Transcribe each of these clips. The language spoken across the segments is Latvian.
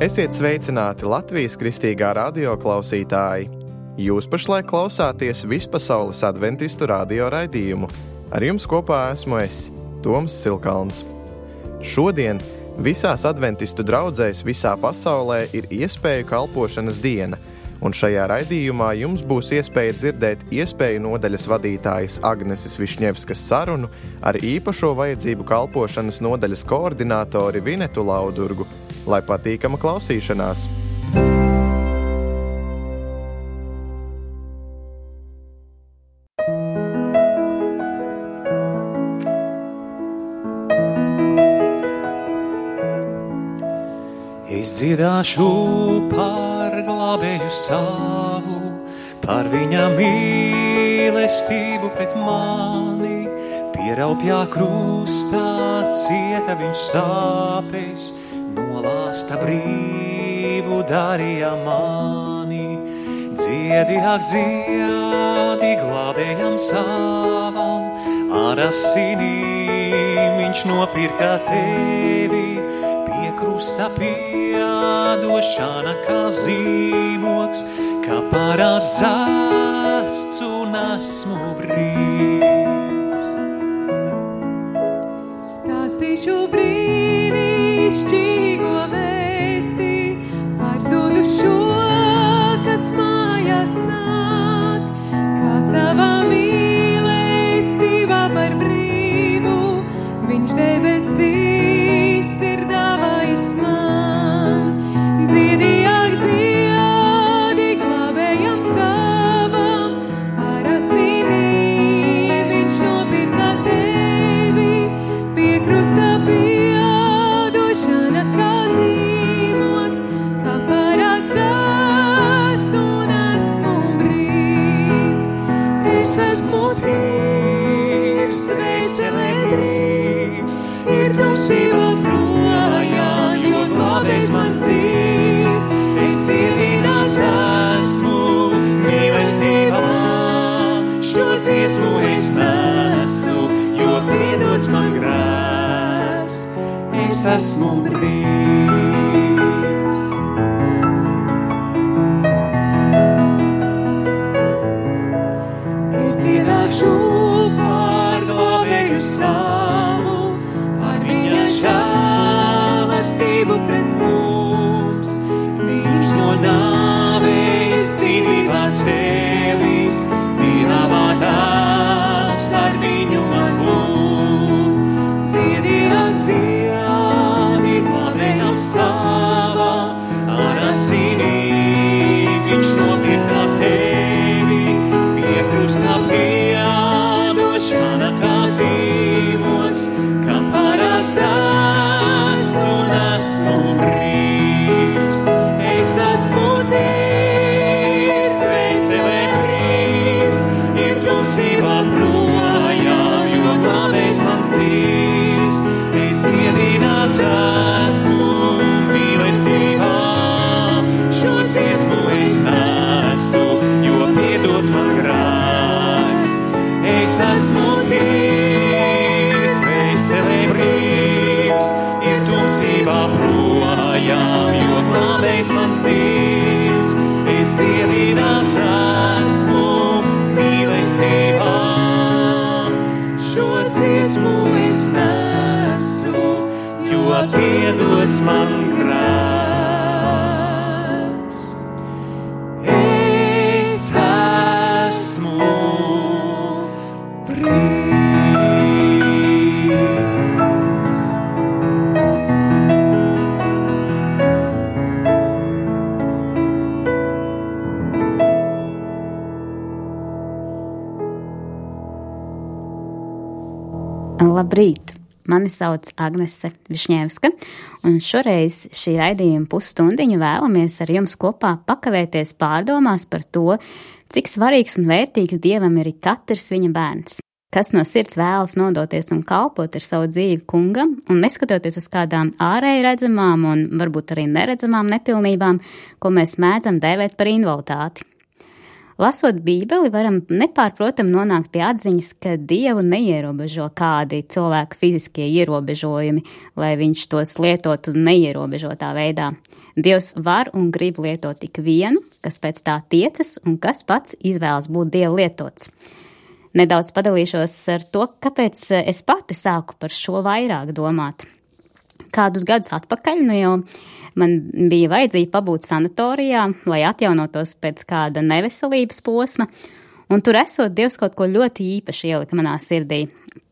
Esiet sveicināti Latvijas kristīgā radio klausītāji! Jūs pašlaik klausāties Vispasaules adventistu radio raidījumu. Ar jums kopā esmu es, Toms Silkalns. Šodien visās adventistu draudzēs visā pasaulē ir iespēju kalpošanas diena, un šajā raidījumā jums būs iespēja dzirdēt iespēju nodaļas vadītājas Agneses Višņevskas sarunu ar īpašo vajadzību kalpošanas nodaļas koordinātori Vinetu Laudurgu. Lai patīkama klausīšanās! Es dziedāšu par glābēju savu, par viņa mīlestību pret mani. Pie raupjā krustā cieta viņš sāpes, nolāsta brīvu darīja mani. Dziedi, ak, dziedi glābējam savam, ar asinīm viņš nopirka tevi. Pie krusta piedošana kā zīmoks, kā parāds dzasts un esmu brīvs. Stāstīšu brīnišķīgo vēsti par zudušo, kas mājās nāk, kā savā mīlestībā par brīvu viņš debesīs ir dāvājis man. Dziedi, ak, dziedi glābējam savam, ar asinīm viņš nopirka tevi. Pie krusta piedošana kā zīmoks, kā parāds dzasts un esmu brīvs. Es esmu tīrs, dvēselē brīvs, ir tumsība projām, jo glābējs mans dzīvs. Es dziedināts esmu mīlestībā, šo dziesmu es nesu, jo piedots man grēks. Es esmu brīvs. Es dziedāšu par glābēju savu, par viņa žēlastību pret mums. Viņš no nāves dzīvībā cēlīs, Dieva dēls ar viņu man būt. Dziedi, ak, dziedi glābējam savam, ar asinīm viņš nopirka tevi. Pie krusta piedošana kā zīmoks, kā parāds dzasts un esmu brīvs. Es esmu tīrs, dvēselē brīvs, ir tumsībā projām, jo glābējs mans dzīvs. Es dziedināts esmu mīlestībā, šo dziesmu es nesu, jo piedots man grēks. Es esmu tīrs, dvēselē brīvs, ir tumsībā projām, jo glābējs mans dzīvs. Es dziedināts esmu mīlestībā, šo dziesmu es nesu, jo piedots man grēks. Es esmu brīvs. Labrīt! Mani sauc Agnese Višņevska, un šoreiz šī raidījuma pusstundiņu vēlamies ar jums kopā pakavēties pārdomās par to, cik svarīgs un vērtīgs Dievam ir katrs viņa bērns. Kas no sirds vēlas nodoties un kalpot ar savu dzīvi kungam, un neskatoties uz kādām ārēji redzamām un varbūt arī neredzamām nepilnībām, ko mēs mēdzam dēvēt par invaliditāti. Lasot Bībeli, varam nepārprotam nonākt pie atziņas, ka Dievu neierobežo kādi cilvēku fiziskie ierobežojumi, lai viņš tos lietotu neierobežotā veidā. Dievs var un grib lietot tik vienu, kas pēc tā tiecas un kas pats izvēlas būt Dieva lietots. Nedaudz padalīšos ar to, kāpēc es pati sāku par šo vairāk domāt. Kādus gadus atpakaļ, jau man bija vajadzība pabūt sanatorijā, lai atjaunotos pēc kāda neveselības posma, un tur esot Dievs kaut ko ļoti īpaši ielika manā sirdī.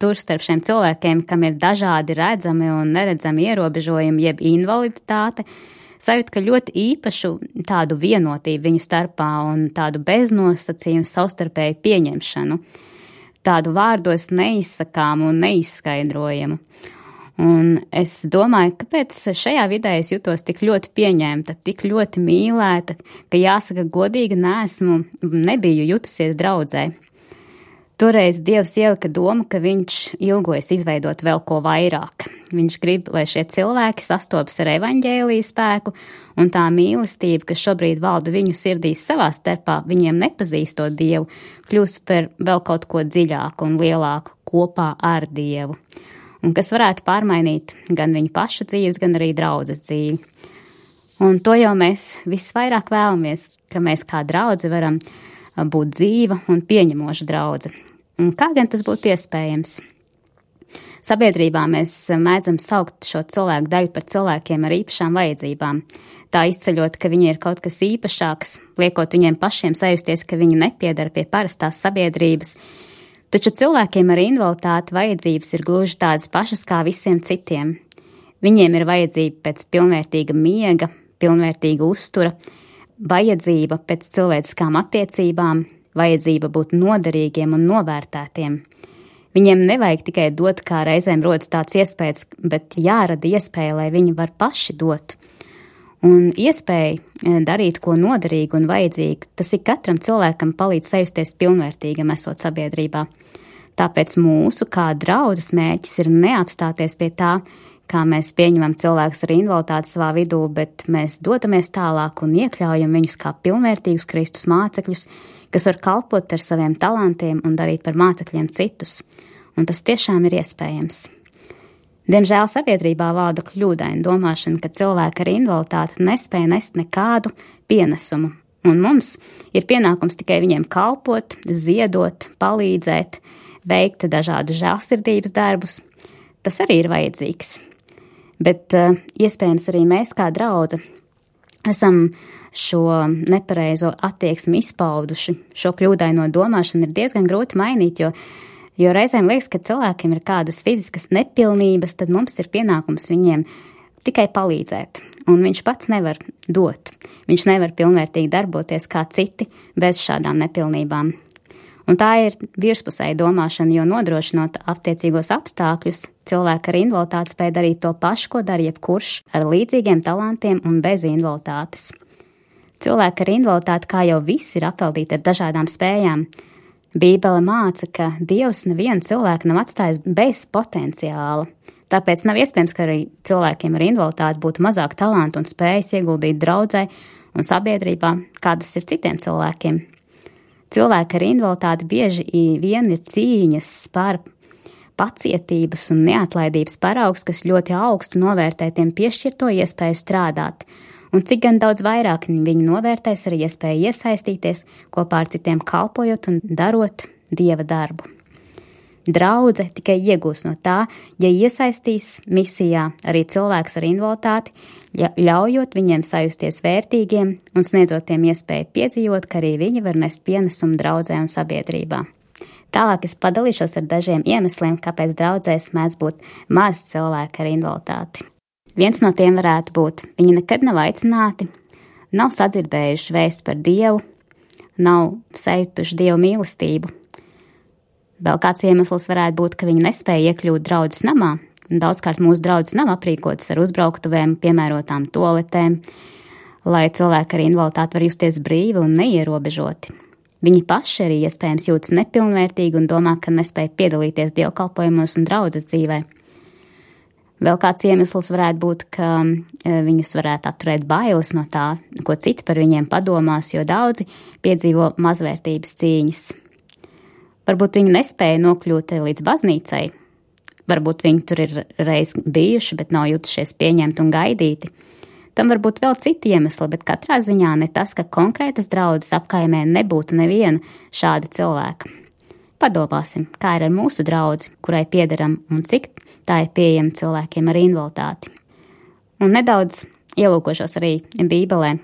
Tur starp šiem cilvēkiem, kam ir dažādi redzami un neredzami ierobežojumi, jeb invaliditāte, sajūt, ka ļoti īpašu tādu vienotību viņu starpā un tādu beznosacījumu savstarpēju pieņemšanu, tādu vārdos neizsakāmu un neizskaidrojamu. Un es domāju, kāpēc šajā vidē es jutos tik ļoti pieņemta, tik ļoti mīlēta, ka jāsaka godīgi nebiju jutusies draudzē. Toreiz Dievs ielika domu, ka viņš ilgojas izveidot vēl ko vairāk. Viņš grib, lai šie cilvēki sastopas ar evaņģēliju spēku un tā mīlestība, kas šobrīd valda viņu sirdīs savā starpā, viņiem nepazīstot Dievu, kļūs par vēl kaut ko dziļāku un lielāku kopā ar Dievu. Un kas varētu pārmainīt gan viņu pašu dzīves, gan arī draudzes dzīvi. Un to jau mēs visvairāk vēlamies, ka mēs kā draudze varam būt dzīva un pieņemoša draudze. Un kā gan tas būtu iespējams? Sabiedrībā mēs mēdzam saukt šo cilvēku daļu par cilvēkiem ar īpašām vajadzībām, tā izceļot, ka viņi ir kaut kas īpašāks, liekot viņiem pašiem sajusties, ka viņi nepiedara pie parastās sabiedrības. Taču cilvēkiem ar invaliditāti vajadzības ir gluži tādas pašas kā visiem citiem. Viņiem ir vajadzība pēc pilnvērtīga miega, pilnvērtīga uztura, vajadzība pēc cilvēciskām attiecībām, vajadzība būt noderīgiem un novērtētiem. Viņiem nevajag tikai dot, kā reizēm rodas tāds iespējas, bet jārada iespēja, lai viņi var paši dot. Un iespēja darīt ko noderīgu un vajadzīgu, tas ir katram cilvēkam palīdz sajusties pilnvērtīgam esot sabiedrībā. Tāpēc mūsu kā draudzes mērķis ir neapstāties pie tā, kā mēs pieņemam cilvēkus ar invaliditāti savā vidū, bet mēs dodamies tālāk un iekļaujam viņus kā pilnvērtīgus Kristus mācekļus, kas var kalpot ar saviem talantiem un darīt par mācekļiem citus. Un tas tiešām ir iespējams. Diemžēl sabiedrībā valda kļūdaina domāšana, ka cilvēki ar invaliditāti nespēja nest nekādu pienesumu, un mums ir pienākums tikai viņiem kalpot, ziedot, palīdzēt, veikt dažādus žēlsirdības darbus. Tas arī ir vajadzīgs. Bet iespējams arī mēs kā draudze esam šo nepareizo attieksmi izpauduši. Šo kļūdaino domāšanu ir diezgan grūti mainīt, jo reizēm liekas, ka cilvēkiem ir kādas fiziskas nepilnības, tad mums ir pienākums viņiem tikai palīdzēt, un viņš pats nevar dot. Viņš nevar pilnvērtīgi darboties kā citi bez šādām nepilnībām. Un tā ir virspusēja domāšana, jo nodrošinot attiecīgos apstākļus, cilvēki ar invaliditāti spēj darīt to pašu, ko dara jebkurš ar līdzīgiem talantiem un bez invaliditātes. Cilvēki ar invaliditāti, kā jau visi, ir apveltīti ar dažādām spējām. Bībele māca, ka Dievs nevienu cilvēku nav atstājis bez potenciāla. Tāpēc nav iespējams, ka arī cilvēkiem ar invaliditāti būtu mazāk talantu un spējas ieguldīt draudzē un sabiedrībā, kādas ir citiem cilvēkiem. Cilvēki ar invaliditāti bieži vien ir cīņas par pacietības un neatlaidības paraugs, kas ļoti augstu novērtē tiem piešķirto iespēju strādāt. Un cik gan daudz vairāk viņi novērtēs arī iespēju iesaistīties, kopā ar citiem kalpojot un darot Dieva darbu. Draudze tikai iegūs no tā, ja iesaistīs misijā arī cilvēks ar invaliditāti, ļaujot viņiem sajusties vērtīgiem un sniedzot tiem iespēju piedzīvot, ka arī viņi var nest pienesumu draudzē un sabiedrībā. Tālāk es padalīšos ar dažiem iemesliem, kāpēc draudzēs mēdz būt maz cilvēki ar invaliditāti. Viens no tiem varētu būt, viņi nekad nav aicināti, nav sadzirdējuši vēstu par Dievu, nav sajutuši Dievu mīlestību. Vēl kāds iemesls varētu būt, ka viņi nespēja iekļūt draudzes namā. Daudzkārt mūsu draudzes nav aprīkotas ar uzbrauktuvēm, piemērotām toaletēm, lai cilvēki ar invaliditāti var justies brīvi un neierobežoti. Viņi paši arī iespējams jūtas nepilnvērtīgi un domā, ka nespēja piedalīties dievkalpojumos un draudzes dzīvē. Vēl kāds iemesls varētu būt, ka viņus varētu atturēt bailes no tā, ko citi par viņiem padomās, jo daudzi piedzīvo mazvērtības cīņas. Varbūt viņi nespēja nokļūt līdz baznīcai, varbūt viņi tur ir reiz bijuši, bet nav jutušies pieņemti un gaidīti. Tam var būt vēl citi iemesli, bet katrā ziņā ne tas, ka konkrētas draudzes apkaimē nebūtu neviena šāda cilvēka. Padomāsim, kā ir ar mūsu draudzi, kurai piederam un cik tā ir pieejama cilvēkiem ar invaliditāti. Un nedaudz ielūkošos arī Bībelē.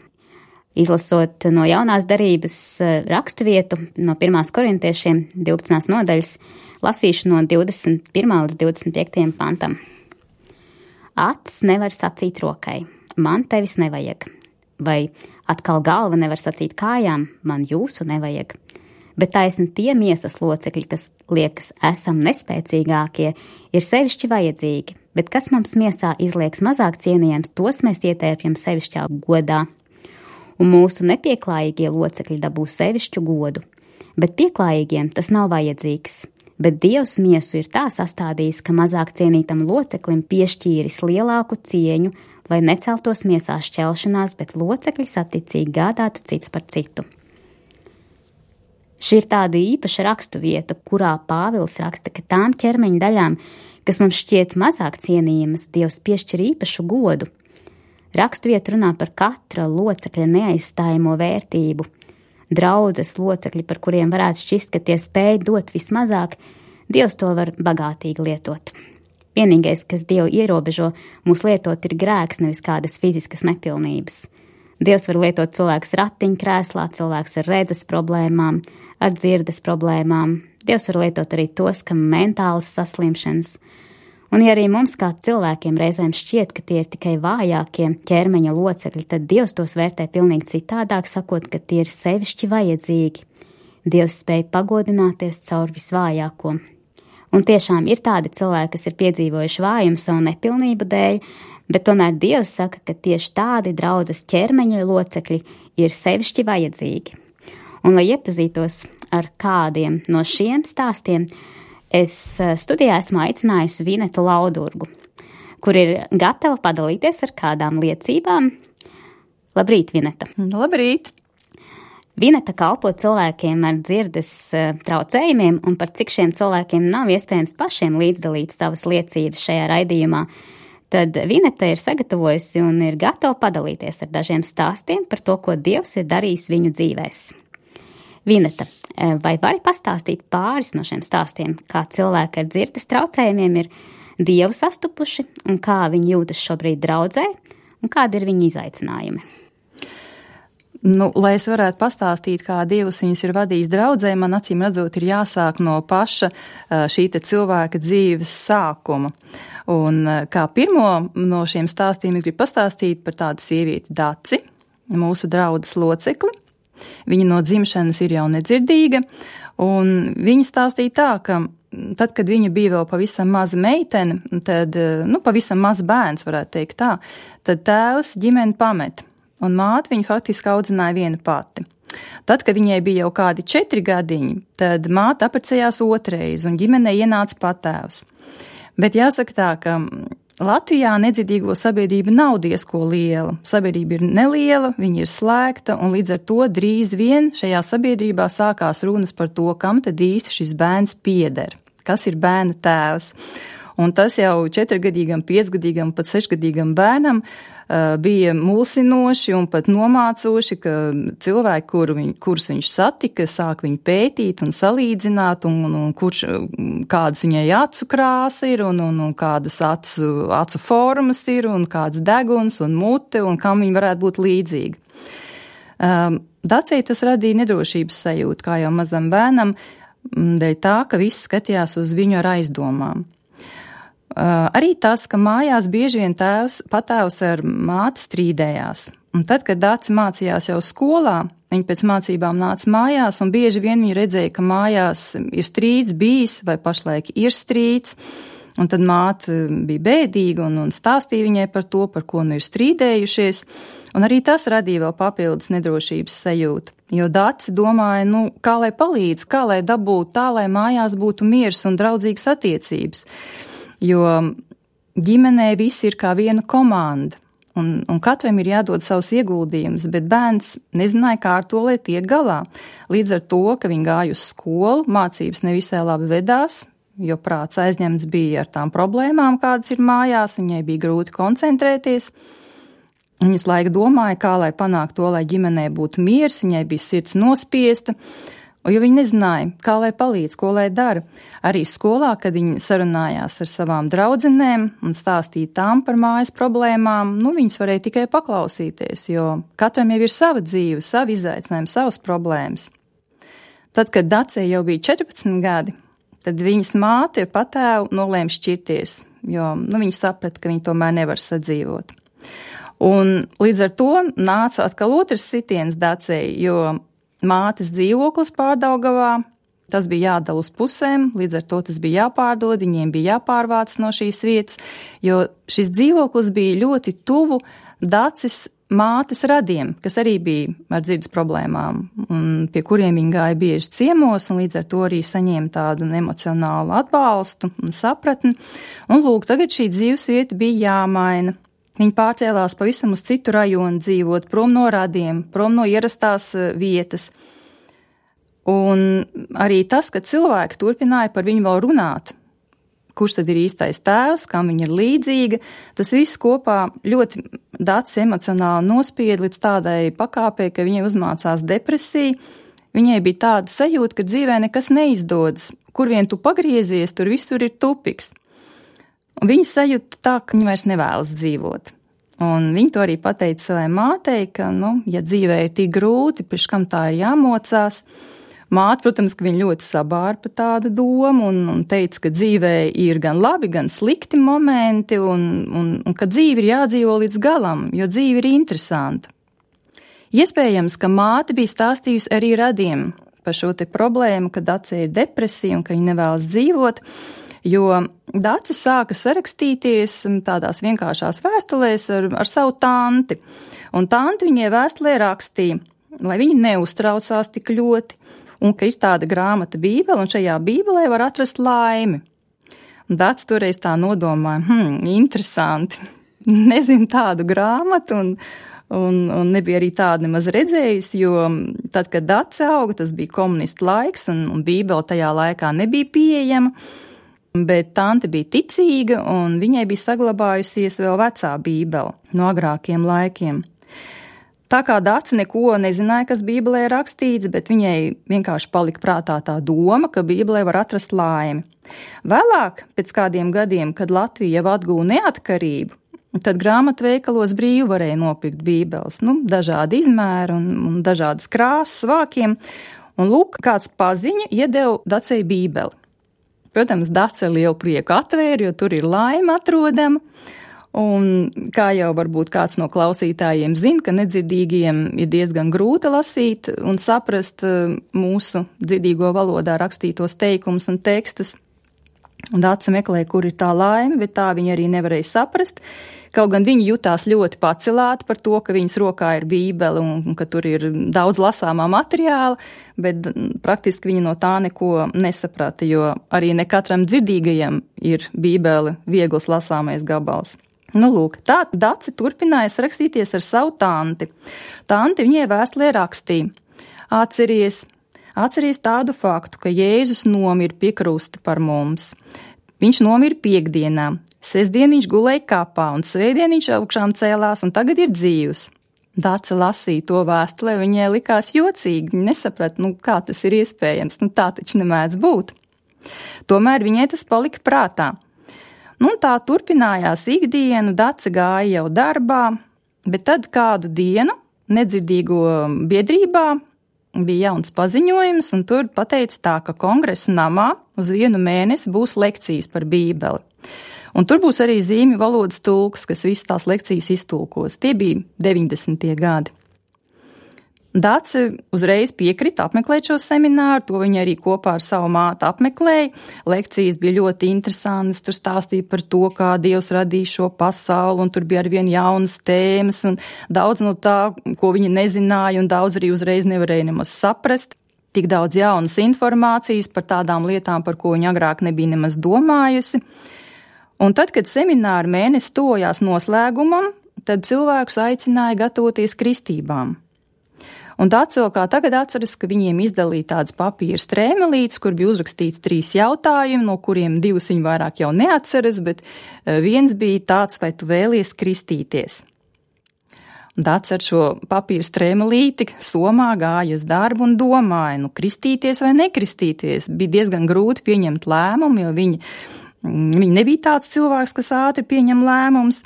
Izlasot no jaunās darības rakstu vietu no 1. korintiešiem 12. nodaļas, lasīšu no 21. līdz 25. pantam. Acis nevar sacīt rokai, man tevis nevajag, vai atkal galva nevar sacīt kājām, man jūsu nevajag. Bet taisni tie miesas locekļi, kas liekas esam nespēcīgākie, ir sevišķi vajadzīgi, bet kas mums miesā izliekas mazāk cienījams, tos mēs ietērpjam sevišķā godā. Un mūsu nepieklājīgie locekļi dabūs sevišķu godu, bet pieklājīgiem tas nav vajadzīgs. Bet Dievs miesu ir tā sastādījis, ka mazāk cienītam loceklim piešķīris lielāku cieņu, lai neceltos miesā šķelšanās, bet locekļi saticīgi gādātu cits par citu. Šī ir tāda īpaša rakstu vieta, kurā Pāvils raksta, ka tām ķermeņa daļām, kas mums šķiet mazāk cienījamas, Dievs piešķir īpašu godu. Rakstu vieta runā par katra locekļa neaizstājamo vērtību. Draudzes locekļi, par kuriem varētu šķist, ka tie spēj dot vismazāk, Dievs to var bagātīgi lietot. Vienīgais, kas Dievu ierobežo mūs lietot, ir grēks, nevis kādas fiziskas nepilnības. Dievs var lietot cilvēks ratiņkrēslā, cilvēks ar redzes problēmām, ar dzirdes problēmām. Dievs var lietot arī tos, kam mentālas saslimšanas. Un ja arī mums kā cilvēkiem reizēm šķiet, ka tie ir tikai vājākie ķermeņa locekļi, tad Dievs tos vērtē pilnīgi citādāk, sakot, ka tie ir sevišķi vajadzīgi. Dievs spēj pagodināties caur visvājāko. Un tiešām ir tādi cilvēki, kas ir piedzīvojuši vājumu savu nepilnību dēļ, bet tomēr Dievs saka, ka tieši tādi draudzes ķermeņa locekļi ir sevišķi vajadzīgi. Un, lai iepazītos ar kādiem no šiem stāstiem, es studijā esmu aicinājusi Vinetu Laudurgu, kur ir gatava padalīties ar kādām liecībām. Labrīt, Vineta! Labrīt! Vineta kalpo cilvēkiem ar dzirdes traucējumiem, un par cik šiem cilvēkiem nav iespējams pašiem līdzdalīt savas liecības šajā raidījumā, tad Vineta ir sagatavojusi un ir gatava padalīties ar dažiem stāstiem par to, ko Dievs ir darījis viņu dzīvēs. Vineta, vai vari pastāstīt pāris no šiem stāstiem, kā cilvēki ar dzirdes traucējumiem ir Dievu sastupuši un kā viņi jūtas šobrīd draudzē un kādi ir viņu izaicinājumi? Lai es varētu pastāstīt, kā Dievs viņus ir vadījis draudzē, man acīm redzot ir jāsāk no paša šī te cilvēka dzīves sākuma. Un kā pirmo no šiem stāstiem es gribu pastāstīt par tādu sievieti Daci, mūsu draudzes locekli. Viņa no dzimšanas ir jau nedzirdīga, un viņa stāstīja tā, ka tad, kad viņa bija vēl pavisam maza meitene, tad, pavisam maz bērns, varētu teikt tā, tad tēvs ģimeni pamet, un māte viņu faktiski audzināja viena pati. Tad, kad viņai bija jau kādi 4 gadiņi, tad māte apprecējās otrais, un ģimenei ienāca patēvs. Bet jāsaka tā, ka Latvijā nedzirdīgo sabiedrība nav diezko liela. Sabiedrība ir neliela, viņa ir slēgta, un līdz ar to drīz vien šajā sabiedrībā sākās runas par to, kam tad īsti šis bērns pieder, kas ir bērna tēvs. Un tas jau 4-gadīgam, 5-gadīgam, pat 6-gadīgam bērnam bija mulsinoši un pat nomācoši, ka cilvēki, kurus viņš satika, sāk viņu pētīt un salīdzināt, un kādas viņai acu krāsa ir, un kādas acu formas ir, un kāds deguns un mute, un kam viņi varētu būt līdzīgi. Dacei tas radīja nedrošības sajūtu, kā jau mazam bērnam, dēļ tā, ka viss skatījās uz viņu ar aizdomām. Arī tas, ka mājās bieži vien patēvs ar māti strīdējās. Un tad, kad Daci mācījās jau skolā, viņa pēc mācībām nāca mājās, un bieži vien viņa redzēja, ka mājās ir strīds bijis vai pašlaik ir strīds, un tad māte bija bēdīga un stāstīja viņai par to, par ko ir strīdējušies, un arī tas radīja vēl papildus nedrošības sajūtu. Jo Daci domāja, kā lai palīdz, kā lai dabūtu tā, lai mājās būtu miers un draudzīgas attiecības. Jo ģimenē visi ir kā viena komanda, un katram ir jādod savus ieguldījumus, bet bērns nezināja, kā ar to, lai tiek galā. Līdz ar to, ka viņi gāja uz skolu, mācības nevisai labi vedās, jo prāts aizņemts bija ar tām problēmām, kādas ir mājās, viņai bija grūti koncentrēties. Viņas laika domāja, kā lai panāktu to, lai ģimenē būtu miers, viņai bija sirds nospiesta, jo viņa nezināja, kā lai palīdz, ko lai dara. Arī skolā, kad viņa sarunājās ar savām draudzenēm un stāstīja tām par mājas problēmām, viņas varēja tikai paklausīties, jo katram jau ir sava dzīve, savi izaicinājumi, savas problēmas. Tad, kad Dacei jau bija 14 gadi, tad viņas māte ar patēvu nolēma šķirties, jo viņa saprata, ka viņa tomēr nevar sadzīvot. Un līdz ar to nāca atkal otrs sitiens Dacei, jo mātes dzīvoklis Pārdaugavā, tas bija jādala uz pusēm, līdz ar to tas bija jāpārdod, viņiem bija jāpārvāc no šīs vietas, jo šis dzīvoklis bija ļoti tuvu Daces mātes radiem, kas arī bija ar dzirdes problēmām, un pie kuriem viņi gāja bieži ciemos, un līdz ar to arī saņēma tādu emocionālu atbalstu un sapratni. Un lūk, tagad šī dzīvesvieta bija jāmaina. Viņi pārcēlās pavisam uz citu rajonu dzīvot, prom no radiem, prom no ierastās vietas. Un arī tas, ka cilvēki turpināja par viņu vēl runāt, kurš tad ir īstais tēvs, kam viņa ir līdzīga, tas viss kopā ļoti Daci emocionāli nospieda līdz tādai pakāpei, ka viņai uzmācās depresija. Viņai bija tāda sajūta, ka dzīvē nekas neizdodas. Kur vien tu pagriezies, tur visur ir tupiks. Un viņa sajūta tā, ka viņa vairs nevēlas dzīvot. Un viņa to arī pateica savai mātei, ka, ja dzīvē ir tik grūti, priekš kam tā ir jāmocās. Māte, protams, ka viņa ļoti sabāra par tādu domu un teica, ka dzīvē ir gan labi, gan slikti momenti un ka dzīve ir jādzīvo līdz galam, jo dzīve ir interesanta. Iespējams, ka māte bija stāstījusi arī radiem par šo te problēmu, ka Dacei ir depresija un ka viņa nevēlas dzīvot, jo Dace sāka sarakstīties tādās vienkāršās vēstulēs ar savu tanti. Un tanti viņai vēstulē rakstīja, lai viņa neuztraucās tik ļoti, un ka ir tāda grāmata Bībele, un šajā Bībelē var atrast laimi. Un Dace toreiz tā nodomāja, interesanti, nezinu tādu grāmatu, un nebija arī tādu nemaz redzējusi, jo tad, kad Dace auga, tas bija komunistu laiks, un Bībele tajā laikā nebija pieejama, bet tante bija ticīga, un viņai bija saglabājusies vēl vecā Bībele no agrākiem laikiem. Tā kā Dace neko nezināja, kas Bībelē rakstīts, bet viņai vienkārši palika prātā tā doma, ka Bībelē var atrast laimi. Vēlāk, pēc kādiem gadiem, kad Latvija jau atguva neatkarību, tad grāmatveikalos brīvi varēja nopirkt Bībeles, dažādi izmēri un dažādas krāsas vākiem, un lūk, kāds paziņa iedeva Dacei Bībeli. Protams, Dace ar lielu prieku atvēra, jo tur ir laime atrodama. Un kā jau varbūt kāds no klausītājiem zina, ka nedzirdīgiem ir diezgan grūti lasīt un saprast mūsu dzirdīgo valodā rakstītos teikumus un tekstus. Dace meklēja, kur ir tā laime, bet tā viņa arī nevarēja saprast. Kaut gan viņa jutās ļoti pacelāta par to, ka viņas rokā ir Bībele un ka tur ir daudz lasāmā materiāla, bet praktiski viņa no tā neko nesaprata, jo arī ne katram dzirdīgajam ir Bībele viegls lasāmais gabals. Lūk, tā Dace turpināja rakstīties ar savu tanti. Tanti viņai vēstulē rakstīja: Atceries tādu faktu, ka Jēzus nomira pie krusta par mums. Viņš nomira piekdienā. Sestdien viņš gulēja kapā un svētdien viņš augšām cēlās un tagad ir dzīvs. Dace lasīja to vēstulē, viņai likās jocīgi, viņa nesaprata, kā tas ir iespējams, tā taču nemēdz būt. Tomēr viņai tas palika prātā. Tā turpinājās ikdienu, Dace gāja jau darbā, bet tad kādu dienu nedzirdīgo biedrībā bija jauns paziņojums, un tur pateica tā, ka Kongresa namā uz 1 mēnesi būs lekcijas par Bībeli. Un tur būs arī zīmju valodas tulks, kas visas tās lekcijas iztulkos. Tie bija 90. gadi. Dace uzreiz piekrita apmeklēt šo semināru, to viņa arī kopā ar savu māti apmeklēja. Lekcijas bija ļoti interesantas, tur stāstīja par to, kā Dievs radīja šo pasauli, un tur bija arvien jaunas tēmas, un daudz no tā, ko viņa nezināja, un daudz arī uzreiz nevarēja nemaz saprast. Tik daudz jaunas informācijas par tādām lietām, par ko viņa agrāk nebija nemaz domājusi. Un tad, kad semināra mēnesis tojās noslēgumam, tad cilvēkus aicināja gatavoties kristībām. Un Dace kā tagad atceras, ka viņiem izdalīja tādas papīra strēmelītes, kur bija uzrakstīti 3 jautājumi, no kuriem 2 viņi vairāk jau neatceras, bet viens bija tāds, vai tu vēlies kristīties. Dats ar šo papīra strēmelīti somā gāja uz darbu un domāja, kristīties vai nekristīties. Bija diezgan grūti pieņemt lēmumu, jo viņi nebija tāds cilvēks, kas ātri pieņem lēmumus.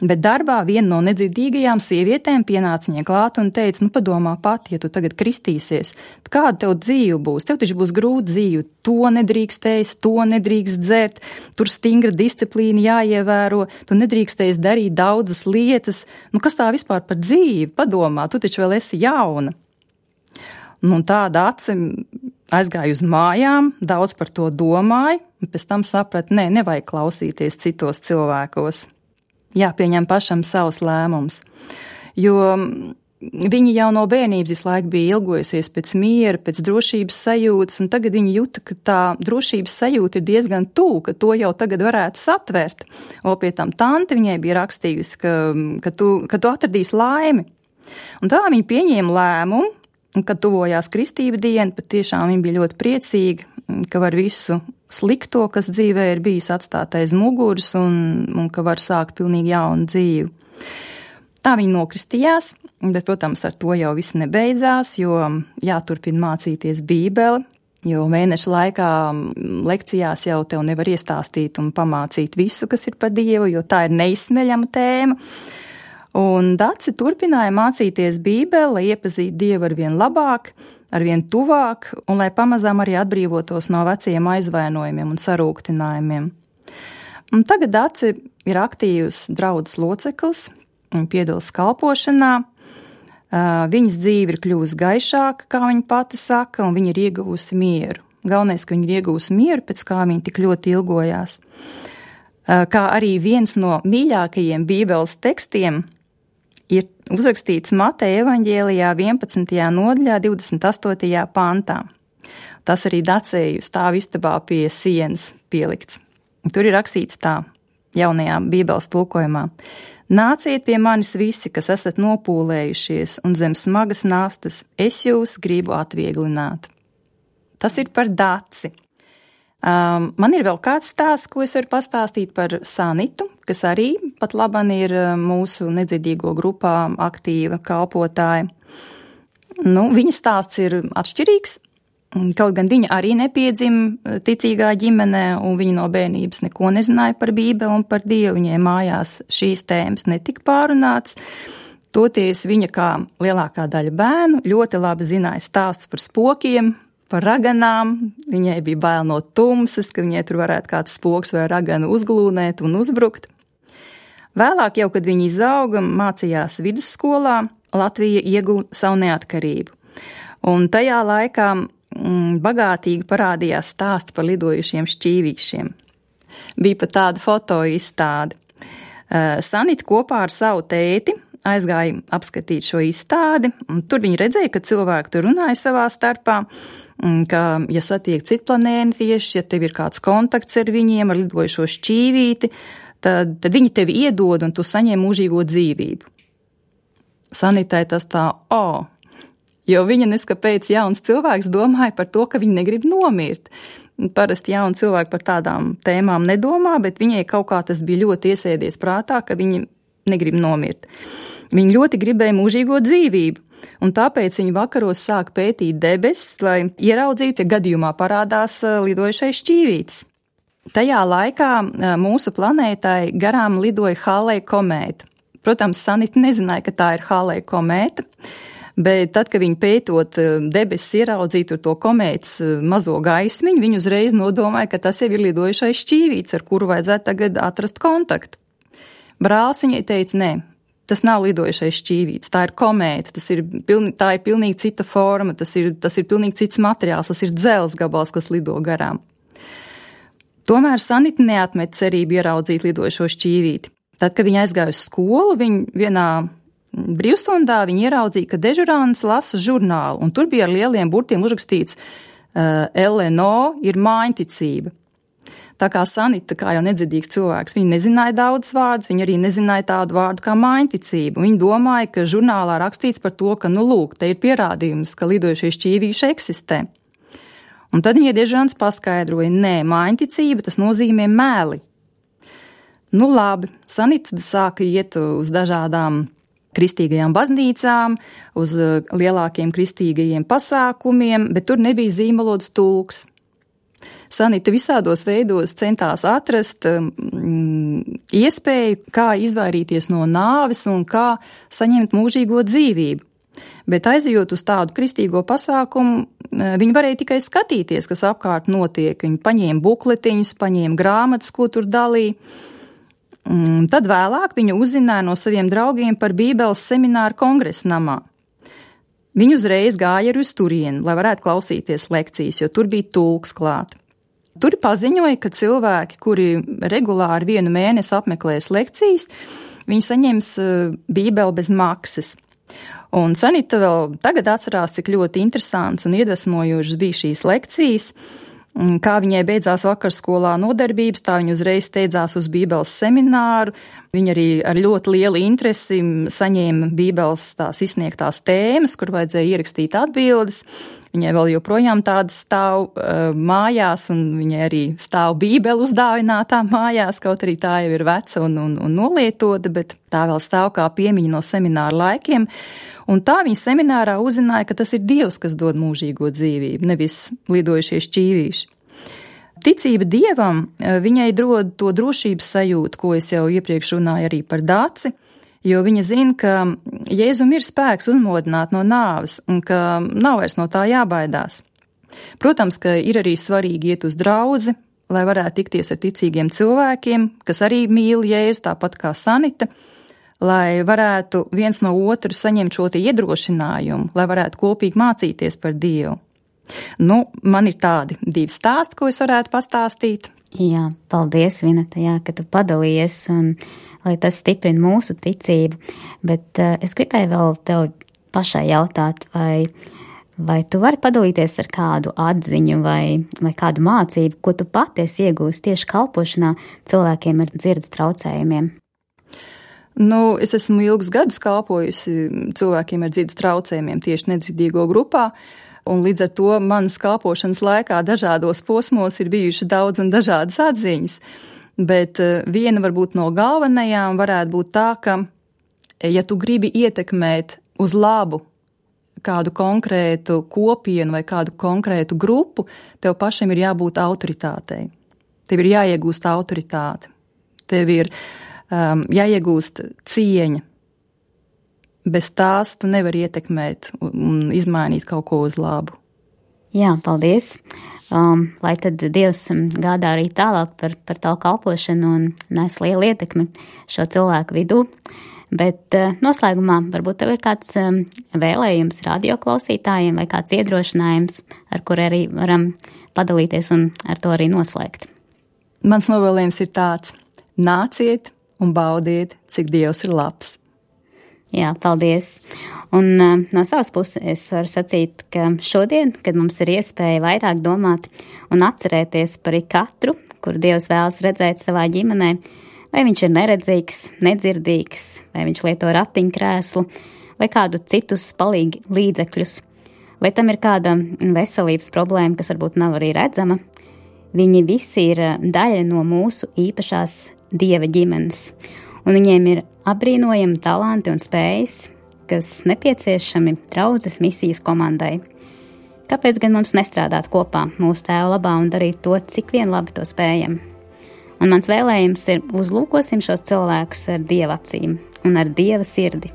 Bet darbā viena no nedzirdīgajām sievietēm pienāca viņai klāt un teica, padomā pati, ja tu tagad kristīsies, kāda tev dzīve būs? Tev taču būs grūta dzīve, to nedrīkst ēst, to nedrīkst dzert, tur stingra disciplīna jāievēro, tu nedrīkstēs darīt daudzas lietas. Kas tā vispār par dzīvi? Padomā, tu taču vēl esi jauna. Tāda aci aizgāja uz mājām, daudz par to domāja, un pēc tam saprata, nevajag klausīties citos cilvēkos. Jāpieņem pašam savs lēmums, jo viņi jau no bērnības visu laiku bija ilgojusies pēc miera, pēc drošības sajūtas, un tagad viņi jūta, ka tā drošības sajūta ir diezgan tuvu, ka to jau tagad varētu satvert. O pie tam tante viņai bija rakstījusi, ka tu atradīsi laimi. Un tā viņi pieņēma lēmumu, un kad tuvojās kristība diena, patiešām viņi bija ļoti priecīgi, ka var visu slikto, kas dzīvē ir bijis, atstāt aiz muguras un ka var sākt pilnīgi jaunu dzīvi. Tā viņi nokristījās, bet, protams, ar to jau viss nebeidzās, jo jāturpina mācīties Bībeli, jo mēneša laikā lekcijās jau tev nevar iestāstīt un pamācīt visu, kas ir par Dievu, jo tā ir neizsmeļama tēma. Un Daci turpināja mācīties Bībeli, lai iepazītu Dievu arvien labāk, arvien tuvāk, un lai pamazām arī atbrīvotos no veciem aizvainojumiem un sarūktinājumiem. Un tagad Daci ir aktīvs draudzes loceklis, viņa piedalās kalpošanā, viņas dzīve ir kļuvusi gaišāka, kā viņa pati saka, un viņa ir ieguvusi mieru. Galvenais, ka viņa ir ieguvusi mieru, pēc kā viņa tik ļoti ilgojās. Kā arī viens no mīļākajiem Bībeles tekstiem ir uzrakstīts Mateja evaņģēlijā 11. nodaļā 28. pantā. Tas arī Dacēju stāv istabā pie sienas pielikts. Tur ir rakstīts tā, jaunajā Bībeles tulkojumā. Nāciet pie manis visi, kas esat nopūlējušies un zem smagas nastas, es jūs gribu atvieglināt. Tas ir par Daci. Man ir vēl kāds stāsts, ko es varu pastāstīt par Sanitu, kas arī pat laban ir mūsu nedzirdīgo grupā aktīva kalpotāja. Viņa stāsts ir atšķirīgs, kaut gan viņa arī nepiedzima ticīgā ģimenē, un viņa no bērnības neko nezināja par Bībeli un par Dievu. Viņai mājās šīs tēmas netika pārunāts. Toties viņa, kā lielākā daļa bērnu, ļoti labi zināja stāstus par spokiem, par raganām, viņai bija bail no tumsas, ka viņai tur varētu kāds spoks vai ragana uzglūnēt un uzbrukt. Vēlāk jau, kad viņa izauga, mācījās vidusskolā, Latvija ieguva savu neatkarību. Un tajā laikā bagātīgi parādījās stāsti par lidojušiem šķīvīšiem. Bija pat tāda fotoizstāde. Sanita kopā ar savu tēti aizgāja apskatīt šo izstādi, un tur viņa redzēja, ka cilvēki tur runāja savā starpā, ka, ja satiek citplanētieši, ja tev ir kāds kontakts ar viņiem, ar lidojušo šķīvīti, tad viņi tevi iedod un tu saņem mūžīgo dzīvību. Sanitai tas tā, jo viņa neskapēc jauns cilvēks domāja par to, ka viņi negrib nomirt. Parasti jauni cilvēki par tādām tēmām nedomā, bet viņai kaut kā tas bija ļoti iesēdies prātā, ka viņi negrib nomirt. Viņi ļoti gribēja mūžīgo dzīvību. Un tāpēc viņi vakaros sāk pētīt debesis, lai ieraudzītu, ja gadījumā parādās lidojušais šķīvītis. Tajā laikā mūsu planētai garām lidoja Halley komēta. Protams, Sanita nezināja, ka tā ir Halley komēta, bet tad, kad viņi pētot debesis ieraudzītu to komētas mazo gaismiņu, viņi uzreiz nodomāja, ka tas jau ir lidojušais šķīvītis, ar kuru vajadzētu tagad atrast kontaktu. Brālis viņai teica, nē. Tas nav lidojušais šķīvītis, tā ir komēta, tā ir pilnīgi cita forma, tas ir pilnīgi cits materiāls, tas ir dzelzs gabals, kas lido garām. Tomēr Sanita neatmet cerību ieraudzīt lidojušo šķīvīti. Tad, kad viņa aizgāja uz skolu, vienā brīvstundā viņa ieraudzīja, ka dežurants lasa žurnālu, un tur bija ar lieliem burtiem uzrakstīts LNO ir mājiņticība. Tā kā Sanita, kā jau nedzirdīgs cilvēks, viņa nezināja daudz vārdus, viņa arī nezināja tādu vārdu kā mājiņticība. Viņa domāja, ka žurnālā rakstīts par to, ka, lūk, te ir pierādījums, ka lidojušie šķīvīši eksistē. Un tad viņa dežurants paskaidroja, nē, mājiņticība, tas nozīmē meli. Labi, Sanita sāka iet uz dažādām kristīgajām baznīcām, uz lielākiem kristīgajiem pasākumiem, bet tur nebija zīmolots tulks. Sanita visādos veidos centās atrast iespēju, kā izvairīties no nāves un kā saņemt mūžīgo dzīvību. Bet aizejot uz tādu kristīgo pasākumu, viņi varēja tikai skatīties, kas apkārt notiek. Viņi paņēma bukletiņus, paņēma grāmatas, ko tur dalīja. Tad vēlāk viņa uzzināja no saviem draugiem par Bībeles semināru kongresa namā. Viņi uzreiz gāja arī uz turieni, lai varētu klausīties lekcijas, jo tur bija tulks klāt. Tur paziņoja, ka cilvēki, kuri regulāri vienu mēnesi apmeklēs lekcijas, viņi saņems Bībeli bez maksas. Un Sanita vēl tagad atcerās, cik ļoti interesants un iedvesmojošas bija šīs lekcijas. Kā viņai beidzās vakarskolā nodarbības, tā viņa uzreiz steidzās uz Bībeles semināru. Viņa arī ar ļoti lielu interesi saņēma Bībeles tās izsniegtās tēmas, kur vajadzēja ierakstīt atbildes. Viņai vēl joprojām tādas stāv mājās, un viņai arī stāv Bībele uzdāvinātā mājās, kaut arī tā jau ir veca un nolietota, bet tā vēl stāv kā piemiņa no semināra laikiem. Un tā viņa seminārā uzzināja, ka tas ir Dievs, kas dod mūžīgo dzīvību, nevis lidojušie šķīvīši. Ticība Dievam viņai dod to drošības sajūtu, ko es jau iepriekš runāju arī par Daci, jo viņa zina, ka Jēzum ir spēks uzmodināt no nāves un ka nav vairs no tā jābaidās. Protams, ka ir arī svarīgi iet uz draudzi, lai varētu tikties ar ticīgiem cilvēkiem, kas arī mīl Jēzu, tāpat kā Sanita, lai varētu viens no otru saņemt šo iedrošinājumu, lai varētu kopīgi mācīties par Dievu. Man ir tādi 2 stāsti, ko es varētu pastāstīt. Jā, paldies, Vineta, ka tu padalījies un lai tas stiprina mūsu ticību. Bet es gribēju vēl tev pašai jautāt, vai tu vari padalīties ar kādu atziņu vai kādu mācību, ko tu pati esi iegūst tieši kalpošanā cilvēkiem ar dzirdes traucējumiem? Es esmu ilgus gadus kalpojusi cilvēkiem ar dzirdes traucējumiem tieši nedzirdīgo grupā, un līdz ar to manas kalpošanas laikā dažādos posmos ir bijuši daudz un dažādas atziņas. Bet viena varbūt no galvenajām varētu būt tā, ka, ja tu gribi ietekmēt uz labu kādu konkrētu kopienu vai kādu konkrētu grupu, tev pašam ir jābūt autoritātei. Tev ir jāiegūst autoritāte. Tev ir jāiegūst cieņa. Bez tās tu nevari ietekmēt un izmainīt kaut ko uz labu. Jā, paldies. Lai tad Dievs gādā arī tālāk par tavu kalpošanu un nes lielu ietekmi šo cilvēku vidū. Bet noslēgumā varbūt tev ir kāds vēlējums radioklausītājiem vai kāds iedrošinājums, ar kur arī varam padalīties un ar to arī noslēgt. Mans novēlējums ir tāds: nāciet un baudiet, cik Dievs ir labs. Jā, paldies. Un no savas puses es varu sacīt, ka šodien, kad mums ir iespēja vairāk domāt un atcerēties par katru, kur Dievs vēlas redzēt savā ģimenē, vai viņš ir neredzīgs, nedzirdīgs, vai viņš lieto ratiņkrēslu, vai kādu citus palīgi līdzekļus, vai tam ir kāda veselības problēma, kas varbūt nav arī redzama, viņi visi ir daļa no mūsu īpašās Dieva ģimenes. Un viņiem ir apbrīnojami talanti un spējas, kas nepieciešami draudzes misijas komandai. Kāpēc gan mums nestrādāt kopā mūsu Tēva labā un darīt to, cik vien labi to spējam? Un mans vēlējums ir uzlūkosim šos cilvēkus ar Dieva acīm un ar Dieva sirdi,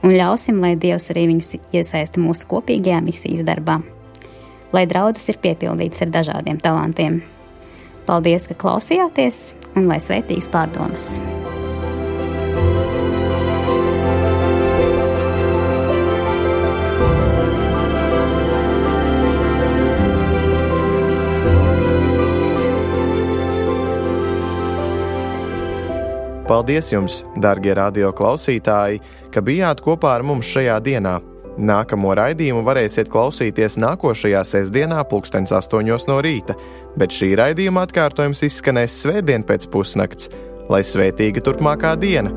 un ļausim, lai Dievs arī viņus iesaista mūsu kopīgajā misijas darbā, lai draudzes ir piepildītas ar dažādiem talantiem. Paldies, ka klausījāties, un lai svētīgas pārdomas! Paldies jums, darbie radio klausītāji, ka bijāt kopā ar mums šajā dienā. Nākamo raidījumu varēsiet klausīties nākošajā sestdienā 8:00 no rīta, bet šī raidījuma atkārtojums izskanēs svētdien pēc pusnakts. Lai svētīga turpmākā diena!